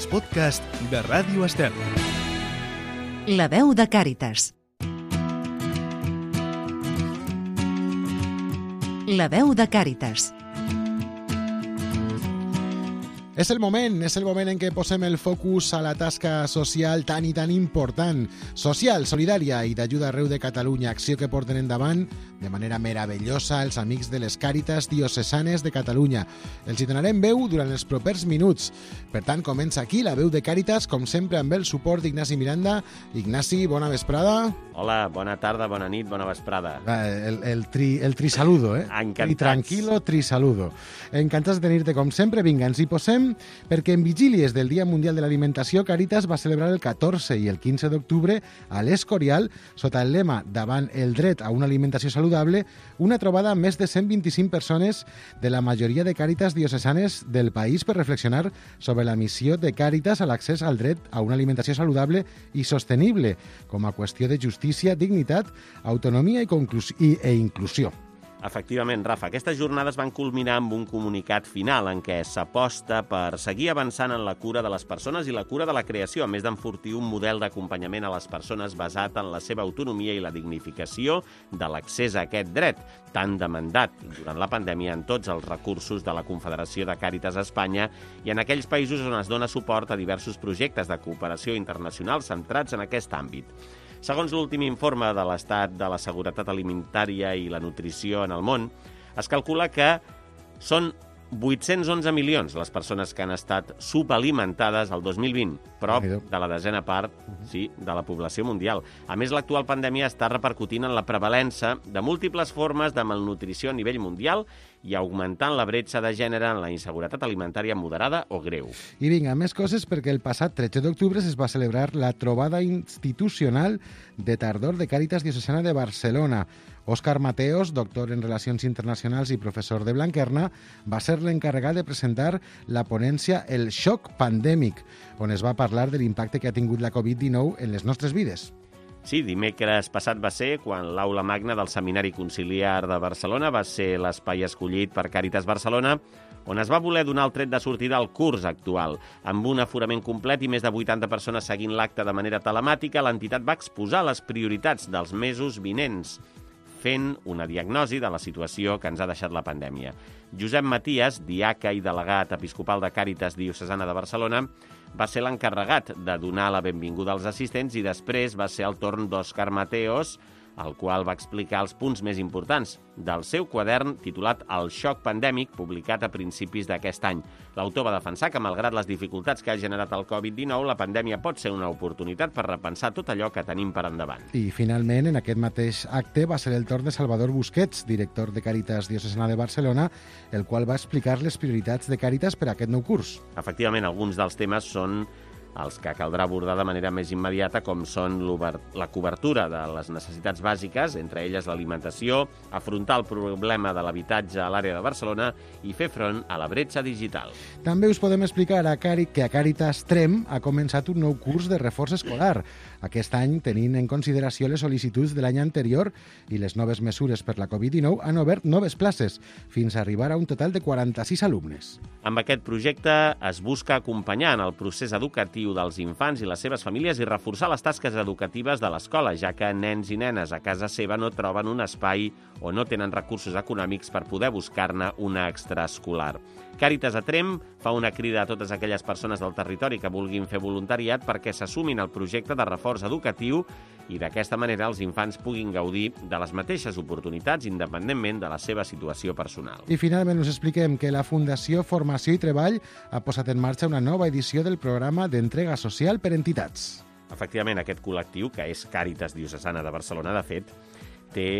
els podcasts de Ràdio Estel. La veu de Càritas. La veu de Càritas. És el moment en què posem el focus a la tasca social tan i tan important, social, solidària i d'ajuda arreu de Catalunya, acció que porten endavant de manera meravellosa els amics de les Càritas diocesanes de Catalunya. Els hi donarem veu durant els propers minuts. Per tant, comença aquí la veu de Càritas, com sempre amb el suport d'Ignasi Miranda. Ignasi, bona vesprada. Hola, bona tarda, bona nit, bona vesprada. El trisaludo, eh? Encantats. I tranquilo, trisaludo. Encantats de tenir-te com sempre. Vinga, ens hi posem perquè en vigílies del Dia Mundial de l'Alimentació, Càritas va celebrar el 14 i el 15 d'octubre a l'Escorial, sota el lema Davant el dret a una alimentació saludable, una trobada amb més de 125 persones de la majoria de Càritas diocesanes del país per reflexionar sobre la missió de Càritas a l'accés al dret a una alimentació saludable i sostenible, com a qüestió de justícia, dignitat, autonomia i inclusió. Efectivament, Rafa, aquestes jornades van culminar amb un comunicat final en què s'aposta per seguir avançant en la cura de les persones i la cura de la creació, a més d'enfortir un model d'acompanyament a les persones basat en la seva autonomia i la dignificació de l'accés a aquest dret, tan demandat durant la pandèmia en tots els recursos de la Confederació de Càritas a Espanya i en aquells països on es dona suport a diversos projectes de cooperació internacional centrats en aquest àmbit. Segons l'últim informe de l'Estat de la Seguretat Alimentària i la Nutrició en el món, es calcula que són 811 milions les persones que han estat subalimentades el 2020, prop de la desena part de la població mundial. A més, l'actual pandèmia està repercutint en la prevalença de múltiples formes de malnutrició a nivell mundial i augmentant la bretxa de gènere en la inseguretat alimentària moderada o greu. I vinga, més coses, perquè el passat 13 d'octubre es va celebrar la trobada institucional de tardor de Càritas Diocesana de Barcelona. Òscar Mateos, doctor en Relacions Internacionals i professor de Blanquerna, va ser l'encarregat de presentar la ponència El xoc pandèmic, on es va parlar de l'impacte que ha tingut la Covid-19 en les nostres vides. Sí, dimecres passat va ser quan l'Aula Magna del Seminari Conciliar de Barcelona va ser l'espai escollit per Càritas Barcelona, on es va voler donar el tret de sortida al curs actual. Amb un aforament complet i més de 80 persones seguint l'acte de manera telemàtica, l'entitat va exposar les prioritats dels mesos vinents, fent una diagnosi de la situació que ens ha deixat la pandèmia. Josep Matías, diaca i delegat episcopal de Càritas Diocesana de Barcelona, va ser l'encarregat de donar la benvinguda als assistents i després va ser el torn d'Òscar Mateos, el qual va explicar els punts més importants del seu quadern titulat El xoc pandèmic, publicat a principis d'aquest any. L'autor va defensar que, malgrat les dificultats que ha generat el Covid-19, la pandèmia pot ser una oportunitat per repensar tot allò que tenim per endavant. I, finalment, en aquest mateix acte va ser el torn de Salvador Busquets, director de Càritas Diocesana de Barcelona, el qual va explicar les prioritats de Càritas per a aquest nou curs. Efectivament, alguns dels temes són els que caldrà abordar de manera més immediata, com són la cobertura de les necessitats bàsiques, entre elles l'alimentació, afrontar el problema de l'habitatge a l'àrea de Barcelona i fer front a la bretxa digital. També us podem explicar que a Càritas Trem ha començat un nou curs de reforç escolar. Aquest any, tenint en consideració les sol·licituds de l'any anterior i les noves mesures per la Covid-19, han obert noves places, fins a arribar a un total de 46 alumnes. Amb aquest projecte es busca acompanyar en el procés educatiu dels infants i les seves famílies i reforçar les tasques educatives de l'escola, ja que nens i nenes a casa seva no troben un espai o no tenen recursos econòmics per poder buscar-ne una extraescolar. Càritas a Trem fa una crida a totes aquelles persones del territori que vulguin fer voluntariat perquè s'assumin al projecte de reforç educatiu i d'aquesta manera els infants puguin gaudir de les mateixes oportunitats independentment de la seva situació personal. I finalment us expliquem que la Fundació Formació i Treball ha posat en marxa una nova edició del programa d'entrega social per entitats. Efectivament, aquest col·lectiu, que és Càritas Diocesana de Barcelona, de fet, té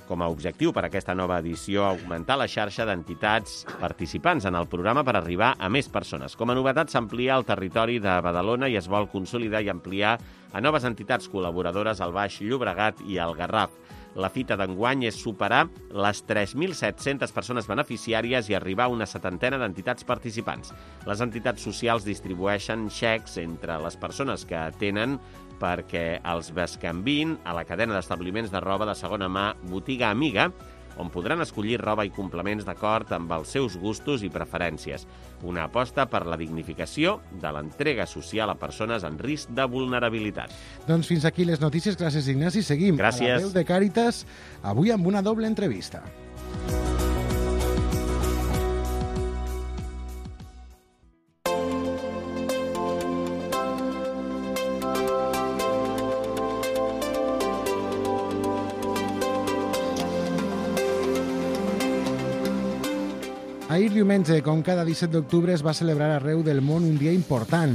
com a objectiu per aquesta nova edició augmentar la xarxa d'entitats participants en el programa per arribar a més persones. Com a novetat, s'amplia el territori de Badalona i es vol consolidar i ampliar a noves entitats col·laboradores al Baix Llobregat i al Garraf. La fita d'enguany és superar les 3.700 persones beneficiàries i arribar a una 70 d'entitats participants. Les entitats socials distribueixen xecs entre les persones que tenen perquè els bescanviïn a la cadena d'establiments de roba de segona mà Botiga Amiga, on podran escollir roba i complements d'acord amb els seus gustos i preferències. Una aposta per la dignificació de l'entrega social a persones en risc de vulnerabilitat. Doncs fins aquí les notícies. Gràcies, Ignasi. Seguim Gràcies. a la veu de Càritas, avui amb una doble entrevista. Ahir diumenge, com cada 17 d'octubre, es va celebrar arreu del món un dia important,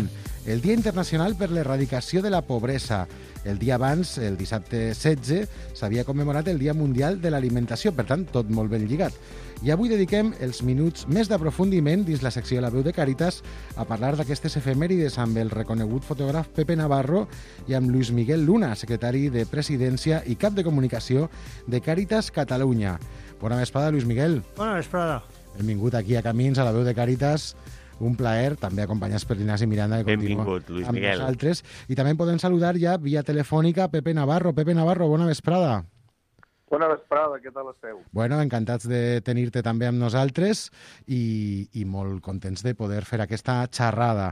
el Dia Internacional per l'Erradicació de la Pobresa. El dia abans, el dissabte 16, s'havia commemorat el Dia Mundial de l'Alimentació, per tant, tot molt ben lligat. I avui dediquem els minuts més d'aprofundiment dins la secció de la veu de Càritas a parlar d'aquestes efemèrides amb el reconegut fotògraf Pepe Navarro i amb Luis Miguel Luna, secretari de Presidència i cap de comunicació de Càritas Catalunya. Bona vesprada, Luis Miguel. Bona vesprada. Benvingut aquí a Camins, a la veu de Càritas. Un plaer, també acompanyats per Ignasi Miranda, que continua Benvingut, Luis amb Miguel. nosaltres. I també podem saludar ja via telefònica a Pepe Navarro. Pepe Navarro, bona vesprada. Bona vesprada, què tal esteu? Bueno, encantats de tenir-te també amb nosaltres i molt contents de poder fer aquesta xerrada.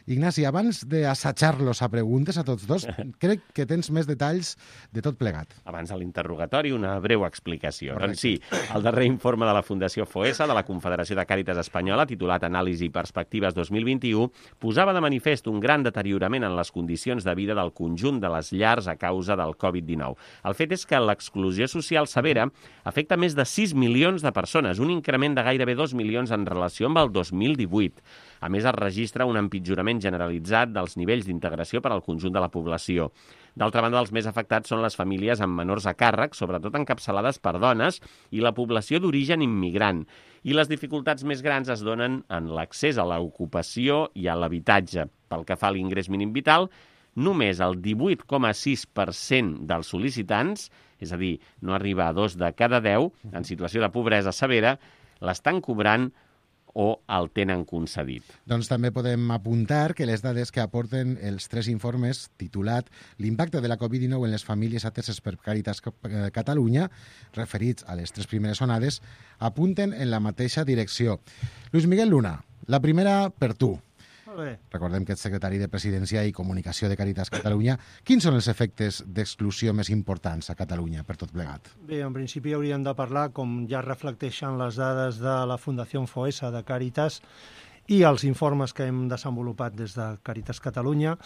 Ignasi, abans d'assajar-los a preguntes a tots dos, crec que tens més detalls de tot plegat. Abans de l'interrogatori, una breu explicació. Correcte. Doncs sí, el darrer informe de la Fundació FOESA, de la Confederació de Càritas Espanyola, titulat Anàlisi i Perspectives 2021, posava de manifest un gran deteriorament en les condicions de vida del conjunt de les llars a causa del Covid-19. El fet és que l'exclusió social severa afecta més de 6 milions de persones, un increment de gairebé 2 milions en relació amb el 2018. A més, es registra un empitjorament generalitzat dels nivells d'integració per al conjunt de la població. D'altra banda, els més afectats són les famílies amb menors a càrrec, sobretot encapçalades per dones, i la població d'origen immigrant. I les dificultats més grans es donen en l'accés a l'ocupació i a l'habitatge. Pel que fa a l'ingrés mínim vital, només el 18,6% dels sol·licitants, és a dir, no arriba a 2 de cada 10, en situació de pobresa severa, l'estan cobrant o el tenen concedit. Doncs també podem apuntar que les dades que aporten els 3 informes titulat L'impacte de la Covid-19 en les famílies ateses per Càritas Catalunya, referits a les 3 primeres onades, apunten en la mateixa direcció. Luis Miguel Luna, la primera per tu. Molt bé. Recordem que ets secretari de Presidència i Comunicació de Càritas Catalunya. Quins són els efectes d'exclusió més importants a Catalunya per tot plegat? Bé, en principi hauríem de parlar, com ja reflecteixen les dades de la Fundació FOESA de Càritas i els informes que hem desenvolupat des de Càritas Catalunya,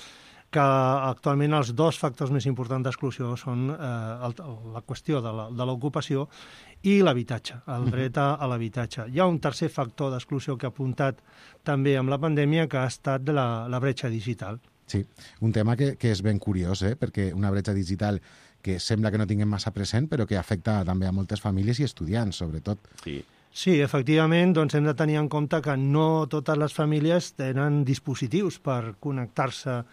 que actualment els 2 factors més importants d'exclusió són la qüestió de l'ocupació i l'habitatge, el dret a l'habitatge. Hi ha un tercer factor d'exclusió que ha apuntat també amb la pandèmia, que ha estat de la bretxa digital. Sí, un tema que és ben curiós, perquè una bretxa digital que sembla que no tinguem massa present, però que afecta també a moltes famílies i estudiants, sobretot. Sí. Sí, efectivament, doncs hem de tenir en compte que no totes les famílies tenen dispositius per connectar-se,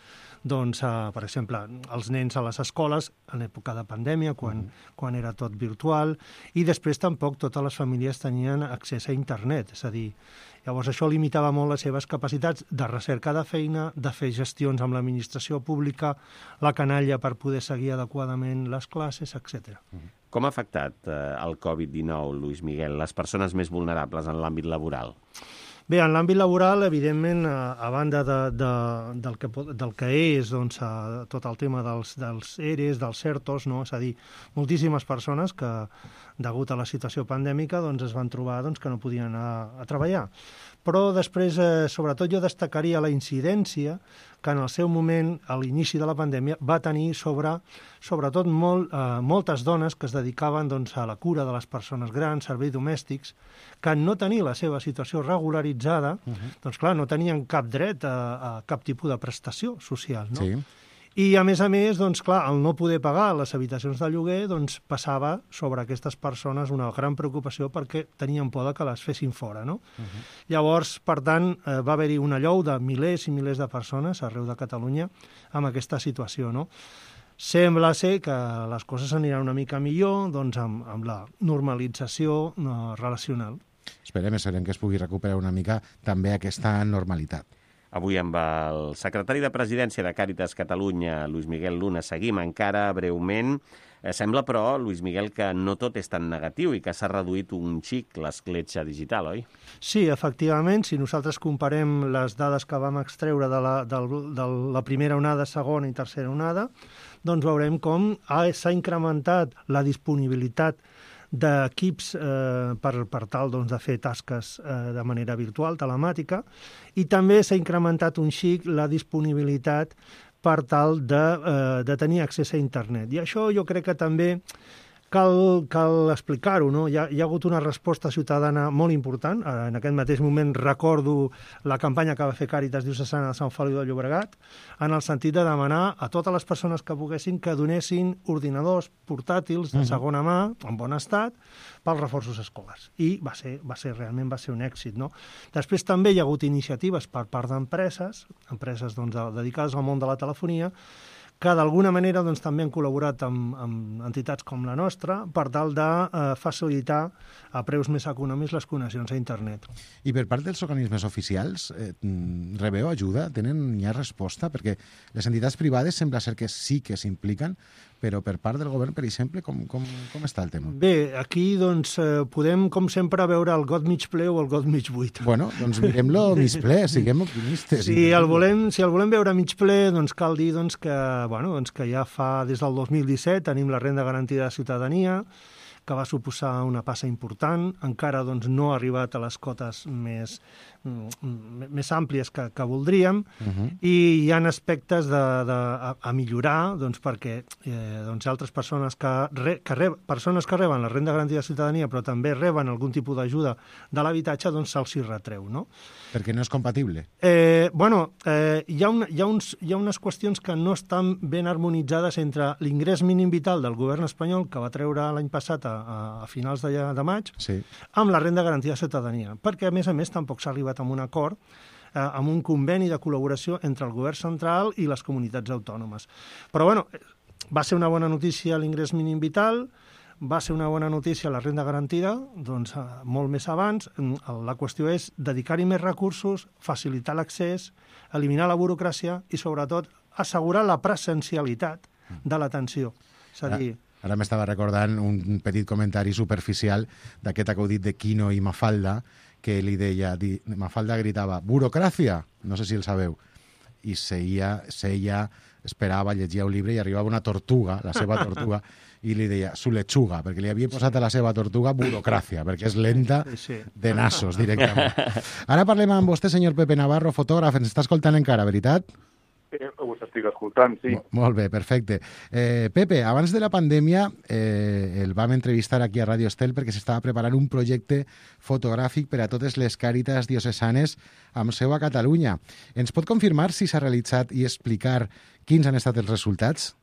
doncs, per exemple, els nens a les escoles en època de pandèmia, quan era tot virtual, i després tampoc totes les famílies tenien accés a internet, és a dir, llavors això limitava molt les seves capacitats de recerca de feina, de fer gestions amb l'administració pública, la canalla per poder seguir adequadament les classes, etc. Com ha afectat el Covid-19, Luis Miguel, les persones més vulnerables en l'àmbit laboral? Bé, en l'àmbit laboral, evidentment, a banda del que és doncs, tot el tema dels ERES, dels CERTOs, no? És a dir, moltíssimes persones que, degut a la situació pandèmica, doncs, es van trobar que no podien anar a treballar. Però després, sobretot, jo destacaria la incidència que en el seu moment, a l'inici de la pandèmia, va tenir sobretot moltes dones que es dedicaven a la cura de les persones grans, serveis domèstics, que en no tenir la seva situació regularitzada, doncs clar, no tenien cap dret a cap tipus de prestació social, no? Sí. I, a més, doncs, clar, el no poder pagar les habitacions de lloguer doncs, passava sobre aquestes persones una gran preocupació perquè tenien por que les fessin fora, no? Llavors, per tant, va haver-hi una llou de milers i milers de persones arreu de Catalunya amb aquesta situació, no? Sembla ser que les coses aniran una mica millor doncs, amb la normalització relacional. Esperem que es pugui recuperar una mica també aquesta normalitat. Avui amb el secretari de Presidència de Càritas Catalunya, Lluís Miguel Luna, seguim encara breument. Sembla, però, Lluís Miguel, que no tot és tan negatiu i que s'ha reduït un xic l'escletxa digital, oi? Sí, efectivament, si nosaltres comparem les dades que vam extreure de la primera onada, segona i tercera onada, doncs veurem com s'ha incrementat la disponibilitat d'equips per tal de fer tasques de manera virtual, telemàtica, i també s'ha incrementat un xic la disponibilitat per tal de tenir accés a internet. I això jo crec que també cal explicar-ho, no? Hi ha hagut una resposta ciutadana molt important. En aquest mateix moment recordo la campanya que va fer Càritas Diocesana de Sant Feliu de Llobregat, en el sentit de demanar a totes les persones que poguessin que donessin ordinadors portàtils de segona mà, en bon estat, pels reforços escolars. I realment va ser un èxit, no? Després també hi ha hagut iniciatives per part d'empreses, dedicades al món de la telefonia, que d'alguna manera també han col·laborat amb entitats com la nostra per tal de facilitar a preus més econòmics les connexions a internet. I per part dels organismes oficials, rebeu ajuda? Hi ha resposta? Perquè les entitats privades sembla ser que sí que s'impliquen, però per part del govern, per exemple, com està el tema? Bé, aquí podem, com sempre, veure el got mig ple o el got mig buit. Bueno, doncs mirem-lo mig ple, siguem optimistes. Si el volem veure mig ple, cal dir que ja fa des del 2017 tenim la renda garantida de ciutadania, que va suposar una passa important, encara no ha arribat a les cotes més àmplies que voldríem, i hi ha aspectes a millorar perquè altres persones persones que reben la renda garantida de ciutadania però també reben algun tipus d'ajuda de l'habitatge, se'ls hi retreu, no? Perquè no és compatible? Hi ha unes qüestions que no estan ben harmonitzades entre l'ingrés mínim vital del govern espanyol, que va treure l'any passat a finals de maig, sí, amb la renda garantida de ciutadania, perquè a més tampoc s'ha arribat a un acord, amb un conveni de col·laboració entre el govern central i les comunitats autònomes. Però va ser una bona notícia l'ingrés mínim vital, va ser una bona notícia la renda garantida, molt més abans. La qüestió és dedicar-hi més recursos, facilitar l'accés, eliminar la burocràcia i, sobretot, assegurar la presencialitat de l'atenció. És a dir, ara m'estava recordant un petit comentari superficial d'aquest acudit de Quino i Mafalda, que li deia, Mafalda gritava, burocràcia, no sé si el sabeu, i seia, esperava, llegia un llibre i arribava una tortuga, la seva tortuga, i li deia, su lechuga, perquè li havia posat a la seva tortuga burocràcia, perquè és lenta de nassos, directament. Ara parlem amb vostè, senyor Pepe Navarro, fotògraf, ens està escoltant encara, veritat? Us estic escoltant, sí. Molt bé, perfecte. Pepe, abans de la pandèmia el vam entrevistar aquí a Radio Estel perquè s'estava preparant un projecte fotogràfic per a totes les càritas diocesanes amb seu a Catalunya. Ens pot confirmar si s'ha realitzat i explicar quins han estat els resultats?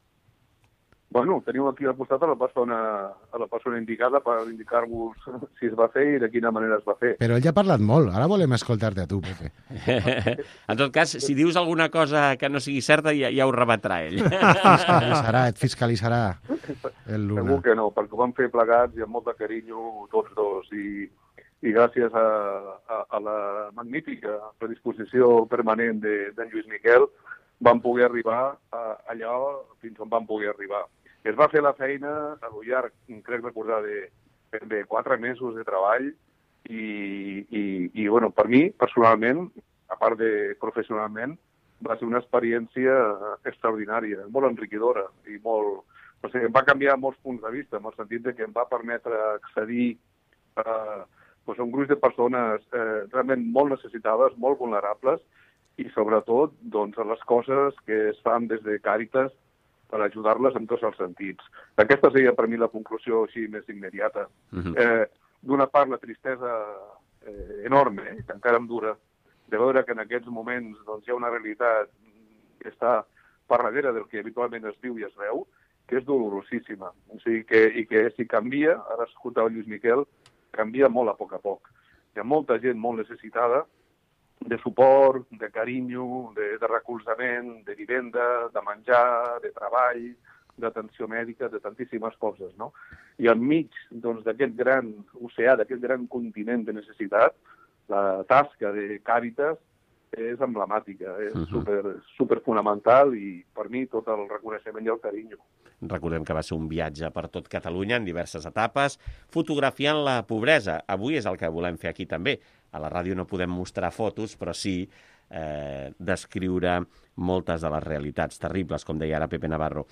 Bueno, teniu aquí al costat a la persona indicada per indicar-vos si es va fer i de quina manera es va fer. Però ell ja ha parlat molt, ara volem escoltar-te a tu, Pepe. En tot cas, si dius alguna cosa que no sigui certa, ja ho rebatrà ell. Et fiscalitzarà el Luna. Segur que no, perquè ho vam fer plegats i amb molt de carinyo tots dos, i gràcies a la magnífica predisposició permanent d'en Lluís Miquel vam poder arribar allà fins on vam poder arribar. Es va fer la feina a lo llarg, crec recordar, de 4 mesos de treball i bueno, per mi, personalment, a part de professionalment, va ser una experiència extraordinària, molt enriquidora i molt... O sigui, em va canviar molts punts de vista, en el sentit que em va permetre accedir a un gruix de persones realment molt necessitades, molt vulnerables, i sobretot a les coses que es fan des de Càritas per ajudar-les en tots els sentits. Aquesta seria per mi la conclusió així més immediata. D'una part, la tristesa enorme, que encara em dura, de veure que en aquests moments hi ha una realitat que està per darrere del que habitualment es diu i es veu, que és dolorosíssima. O sigui, que si canvia, ara escoltava Lluís Miquel, canvia molt a poc. Hi ha molta gent molt necessitada de suport, de carinyo, de recolzament, de vivenda, de menjar, de treball, d'atenció mèdica, de tantíssimes coses, no? I enmig d'aquest gran oceà, d'aquest gran continent de necessitat, la tasca de Càritas és emblemàtica, és super fonamental i per mi tot el reconeixement i el carinyo. Recordem que va ser un viatge per tot Catalunya en diverses etapes, fotografiant la pobresa. Avui és el que volem fer aquí també. A la ràdio no podem mostrar fotos, però sí descriure moltes de les realitats terribles, com deia ara Pepe Navarro.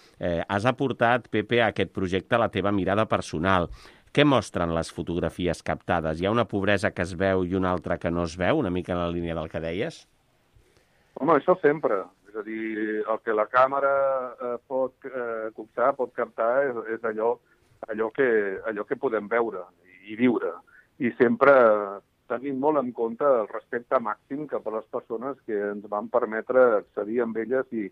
Has aportat, Pepe, a aquest projecte la teva mirada personal. Què mostren les fotografies captades? Hi ha una pobresa que es veu i una altra que no es veu, una mica en la línia del que deies? Home, això sempre. És a dir, el que la càmera pot captar és allò que podem veure i viure. I sempre tenint molt en compte el respecte màxim cap a les persones que ens van permetre accedir amb elles i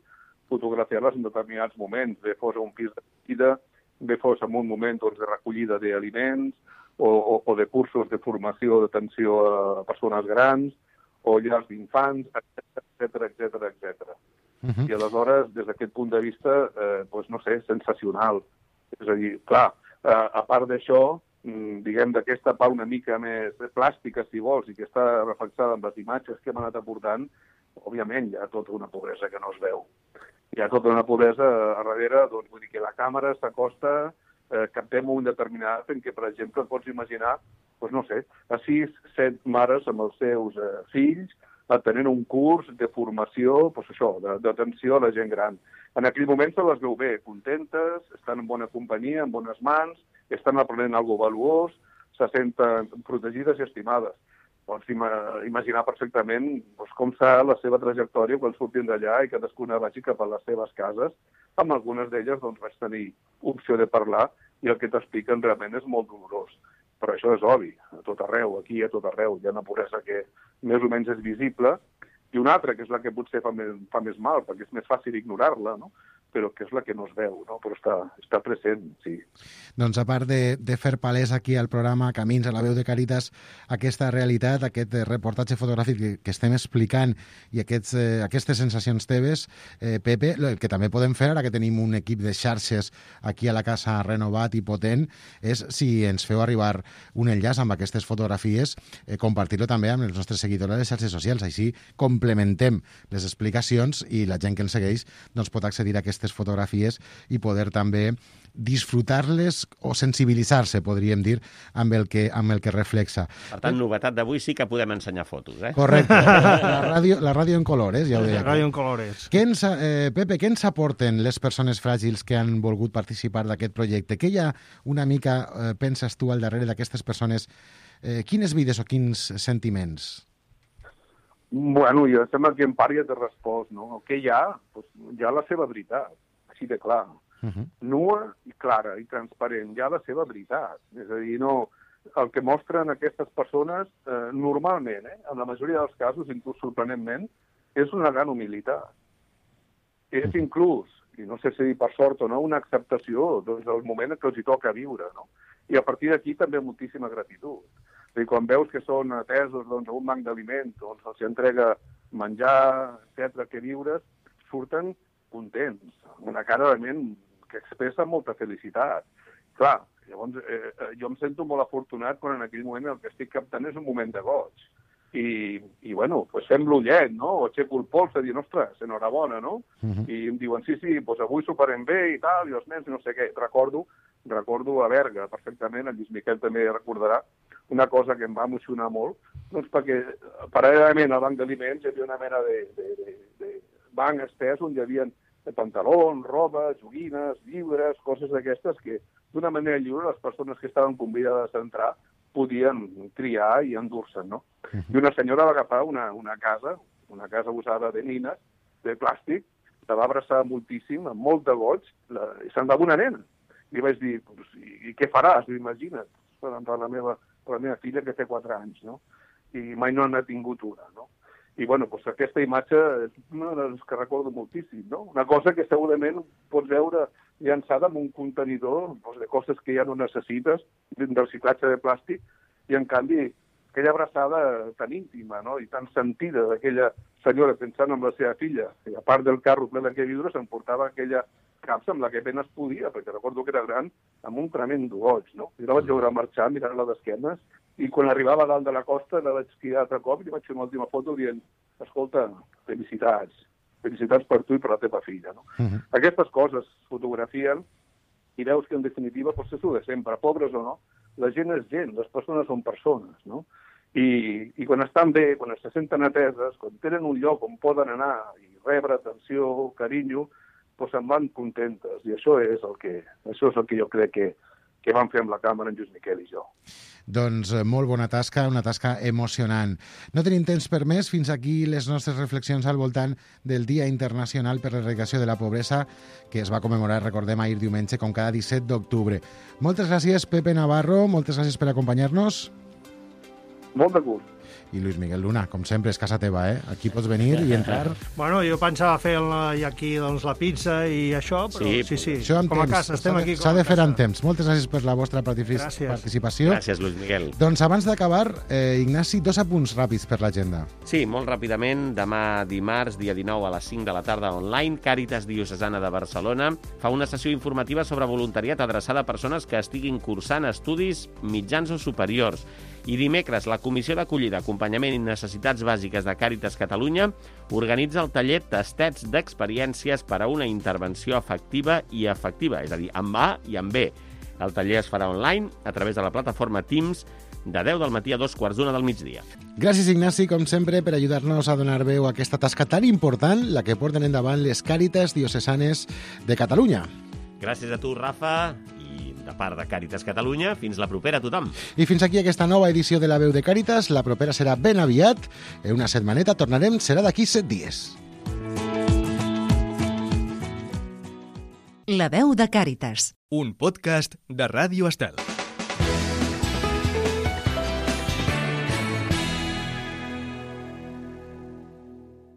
fotografiar-les en determinats moments, bé fos a un pis de vida, bé fos en un moment de recollida d'aliments o de cursos de formació d'atenció a persones grans o llars d'infants, etc. I aleshores, des d'aquest punt de vista, no sé, sensacional. És a dir, clar, a part d'això, diguem, d'aquesta part una mica més plàstica, si vols, i que està reflexada amb les imatges que hem anat aportant, òbviament hi ha tota una pobresa que no es veu. Hi ha tota una pobresa a darrere, doncs vull dir que la càmera s'acosta, captem un determinat en què, per exemple, pots imaginar, no sé, a 6-7 mares amb els seus fills atenent un curs de formació, d'atenció a la gent gran. En aquell moment se les veu bé, contentes, estan en bona companyia, en bones mans, estan aprenent alguna cosa valuós, se senten protegides i estimades. Pots imaginar perfectament com serà la seva trajectòria quan surtin d'allà i cadascuna vagi cap a les seves cases. Amb algunes d'elles vaig tenir opció de parlar i el que t'expliquen realment és molt dolorós. Però això és obvi, a tot arreu, aquí a tot arreu. Hi ha una pobresa que més o menys és visible i una altra, que és la que potser fa més mal, perquè és més fàcil ignorar-la, no? Però que és la que no es veu, no? Però està present, sí. Doncs a part de fer palès aquí al programa Camins a la veu de Càritas aquesta realitat, aquest reportatge fotogràfic que estem explicant i aquestes sensacions teves, Pepe, el que també podem fer ara que tenim un equip de xarxes aquí a la casa renovat i potent és, si ens feu arribar un enllaç amb aquestes fotografies, compartir-lo també amb els nostres seguidors a les xarxes socials. Així complementem les explicacions i la gent que ens segueix pot accedir a aquestes fotografies i poder també disfrutar-les o sensibilitzar-se, podríem dir, amb el que reflexa. Per tant, novetat d'avui sí que podem ensenyar fotos, eh? Correcte. La ràdio en colores, ja ho deia. La ràdio en colores. Pepe, què ens aporten les persones fràgils que han volgut participar d'aquest projecte? Què hi ha una mica, penses tu, al darrere d'aquestes persones? Quines vides o quins sentiments? Bueno, jo sembla que en part ja t'he respost, no? El que hi ha? Hi ha la seva veritat, així de clar. Nua i clara i transparent, hi ha la seva veritat. És a dir, no, el que mostren aquestes persones, normalment, en la majoria dels casos, inclús sorprenentment, és una gran humilitat. És inclús, i no sé si per sort o no, una acceptació del moment que els hi toca viure, no? I a partir d'aquí també moltíssima gratitud. És a dir, quan veus que són atesos a un banc d'aliments, els entrega menjar, etc., que viures, surten contents, una cara realment que expressa molta felicitat. Clar, llavors jo em sento molt afortunat quan en aquell moment el que estic captant és un moment de goig. I bueno, fem l'ullet, no? O aixeco el pols a dir, ostres, enhorabona, no? I em diuen, sí, avui soparem bé i tal, i els nens no sé què. Recordo a Berga perfectament, el Lluís Miquel també recordarà, una cosa que em va emocionar molt, perquè paral·lelament al banc d'aliments hi havia una mena de banc estès on hi havia pantalons, roba, joguines, llibres, coses d'aquestes que d'una manera lliure les persones que estaven convidades a entrar podien triar i endur-se'n, no? I una senyora va agafar una casa usada de nines, de plàstic, la va abraçar moltíssim, amb molt de goig, i se'n va amb una nena. I vaig dir, i què faràs? Imagina't, per la meva filla que té 4 anys, no? I mai no n'ha tingut una, no? I, bueno, aquesta imatge és una de les que recordo moltíssim, no? Una cosa que segurament pots veure llançada en un contenidor de coses que ja no necessites, del reciclatge de plàstic, i, en canvi, aquella abraçada tan íntima, no? I tan sentida d'aquella senyora pensant en la seva filla. I a part del carro ple de quevidures, s'emportava aquella capsa amb la que ben es podia, perquè recordo que era gran, amb un tremendo goig, no? I la vaig veure marxar, mirant-la d'esquenes, i quan arribava a dalt de la costa la vaig cridar altre cop i li vaig fer una última foto dient, escolta, felicitats per tu i per la teva filla. No? Aquestes coses fotografien i veus que en definitiva pot ser de sempre, pobres o no, la gent és gent, les persones són persones, no? I quan estan bé, quan se senten ateses, quan tenen un lloc on poden anar i rebre atenció, carinyo, doncs se'n van contentes. I això és el que jo crec que vam fer amb la càmera en Lluís Miquel i jo. Doncs molt bona tasca, una tasca emocionant. No tenim temps per més, fins aquí les nostres reflexions al voltant del Dia Internacional per l'Erradicació de la Pobresa, que es va commemorar, recordem, ahir diumenge, com cada 17 d'octubre. Moltes gràcies, Pepe Navarro, moltes gràcies per acompanyar-nos. Molt de gust. I Lluís Miguel Luna, com sempre, és casa teva, eh? Aquí pots venir i entrar. Bueno, jo pensava fer aquí doncs, la pizza i això, però sí. Això com a casa, estem aquí com a casa. S'ha de fer amb temps. Moltes gràcies per la vostra participació. Gràcies, Lluís Miguel. Doncs abans d'acabar, Ignasi, 2 apunts ràpids per l'agenda. Sí, molt ràpidament. Demà dimarts, dia 19 a les 5 de la tarda online, Càritas Diocesana de Barcelona fa una sessió informativa sobre voluntariat adreçada a persones que estiguin cursant estudis mitjans o superiors. I dimecres, la Comissió d'Acollida, Acompanyament i Necessitats Bàsiques de Càritas Catalunya organitza el taller Tastets d'Experiències per a una intervenció efectiva, és a dir, amb A i amb B. El taller es farà online a través de la plataforma Teams de 10 del matí a 2:45 del migdia. Gràcies, Ignasi, com sempre, per ajudar-nos a donar veu a aquesta tasca tan important, la que porten endavant les Càritas Diocesanes de Catalunya. Gràcies a tu, Rafa, i de part de Càritas Catalunya, fins la propera a tothom. I fins aquí aquesta nova edició de La Veu de Càritas. La propera serà ben aviat. En una setmaneta tornarem, serà d'aquí 7 dies. La Veu de Càritas. Un podcast de Ràdio Estel.